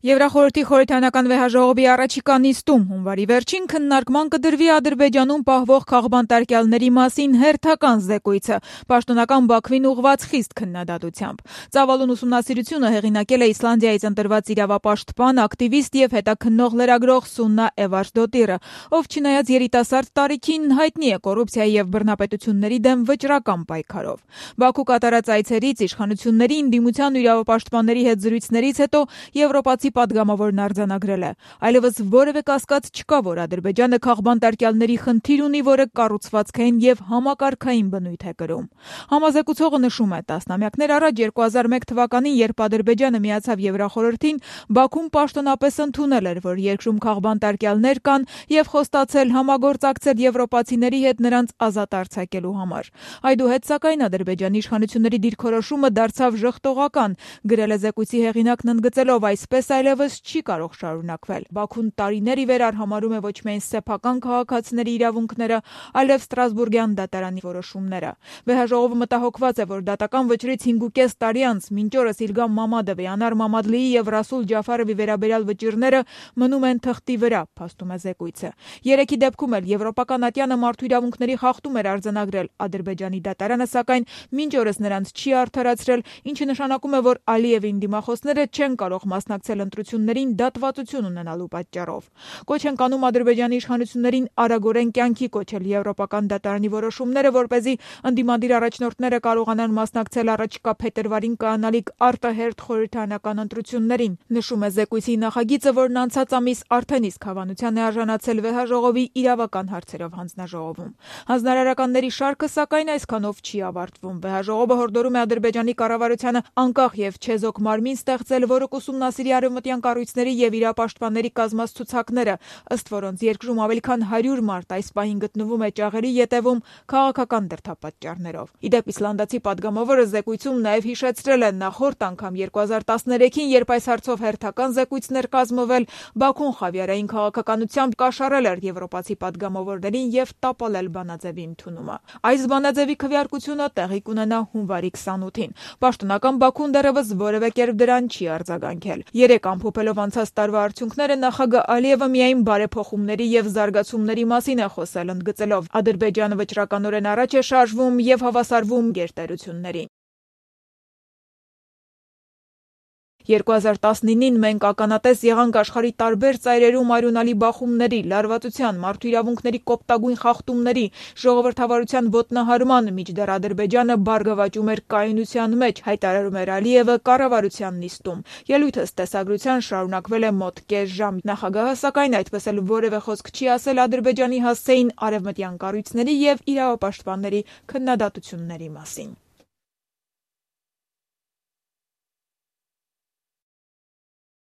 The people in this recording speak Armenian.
Եվրախորհրդի խորհրդարանական վեհաժողովի առաջիկա նիստում հունվարի վերջին քննարկման կդրվի Ադրբեջանում պահվող քաղբանտարկյալների մասին հերթական զեկույցը, պաշտոնական Բաքվին ուղղված խիստ քննադատությամբ։ Ծավալուն ուսումնասիրությունը հեղինակել է Իսլանդիայից ընտրված իրավապաշտպան, ակտիվիստ եւ հետաքննող լրագրող Սուննա Էվարսդոտիրը, ով չնայած երիտասարդ տարիքին հայտնի է կոռուպցիայի եւ բռնապետությունների դեմ վճռական պայքարով։ Բաքու կատարած այցերից իշխանությունների ընդդիմության ու իրավապաշտպանների հետ զրույցներից հետո եվրոպացի պատգամավորն արձանագրել է. այլևս որևէ կասկած չկա, որ Ադրբեջանը քաղբանտարկյալների խնդիր ունի, որը կառուցվածքային եւ համակարգային բնույթ է կրում։ Համազեկուցողը նշում է, տասնամյակներ առաջ 2001 թվականին, երբ Ադրբեջանը միացավ Եվրախորհրդին, Բաքուն պաշտոնապես ընդունել էր, որ երկրում քաղբանտարկյալներ կան եւ խոստացել համագործակցել եվրոպացիների հետ նրանց ազատ արձակելու համար։ Այդուհետ, սակայն, Ադրբեջանի իշխանությունների դիրքորոշումը դարձավ ժխտողական, գրել է զեկույցի հեղինակն ընդգծելով, այսպես այլևս չի կարող շարունակվել։ Բաքուն տարիներ ի վեր արհամարհում է ոչ միայն սեփական քաղաքացիների իրավունքները, այլև Ստրասբուրգյան դատարանի որոշումները։ Վեհաժողովը մտահոգված է, որ դատական վճռից 5.5 տարի անց մինչ օրս Իլգամ Մամադովի, Անար Մամադլիի եւ Ռասուլ Ջաֆարովի վերաբերյալ վճիռները մնում են թղթի վրա, փաստում է զեկույցը։ Երեքի դեպքում էլ եվրոպական ատյանը մարդու իրավունքների խախտում էր արձանագրել Ադրբեջանի դատարանը, սակայն մինչ օրս նրանց չի արդարացրել, ինչը նշանակում է, որ Ալիևին դիմախոսները չեն կարող մասնակցել ընտրություններին դատվածություն ունենալու պատճառով։ Կոչ են կանում Ադրբեջանի իշխանություններին արագորեն կյանքի կոչել եվրոպական դատարանի որոշումները, որպեսզի ընդդիմադիր առաջնորդները կարողանան մասնակցել առաջիկա փետրվարին կայանալիք արտահերթ խորհրդարանական ընտրություններին։ Նշում է զեկույցի նախագիծը, որն անցած ամիս արդեն իսկ հավանության է արժանացել վեհաժողովի իրավական հարցերով հանձնաժողովում։ Հանձնարարականների շարքը, սակայն, այսքանով չի ավարտվում։ Վեհաժողովը հորդորում է Ադրբեջանի կառավարությանը անկախ եւ չեզոք մարմին ստեղծել, որը կուսումնասիրի արևմտյան կառույցների եւ իրապաշտպանների կազմած ցուցակները, ըստ որոնց երկրում ավելի քան 100 մարդ այս պահին գտնվում է ճաղերի ետևում քաղաքական դրդապատճառներով։ Իդեպ իսլանդացի պատգամավորը զեկույցում նաեւ հիշեցրել է նախորդ անգամ 2013-ին, երբ այս հարցով հերթական զեկույցներ կազմվել, Բաքուն խավիարային քաղաքականությամբ կաշառել էր եվրոպացի պատգամավորներին եւ տապալել բանաձևի ընդունումը։ Այս բանաձևի քվեարկությունը տեղի կունենա հունվարի 28-ին։ Պաշտոնական Բաքուն դեռևս որևէ կերպ դրան չի արձագանքել։ Երեք ամփոփելով անցած տարվա արդյունքները, նախագահ Ալիևը միայն բարեփոխումների եւ զարգացումների մասին է խոսել, ընդգծելով Ադրբեջանը վճռականորեն առաջ է շարժվում եւ հավասարվում գերտերություններին։ 2019-ին մենք ականատես եղանք աշխարհի տարբեր ծայրերում արյունալի բախումների, լարվածության, մարդու իրավունքների կոպտագույն խախտումների, ժողովրդավարության ոտնահարման, մինչդեռ Ադրբեջանը բարգավաճում էր կայունության մեջ, հայտարարում էր Ալիևը կառավարության նիստում։ Ելույթը տեսագրության շարունակվել է մոտ կես ժամ։ Նախագահը, սակայն, այդպես էլ որևէ խոսք չի ասել Ադրբեջանի հասցեին արևմտյան կառույցների եւ իրավապաշտպանների քննադատությունների մասին։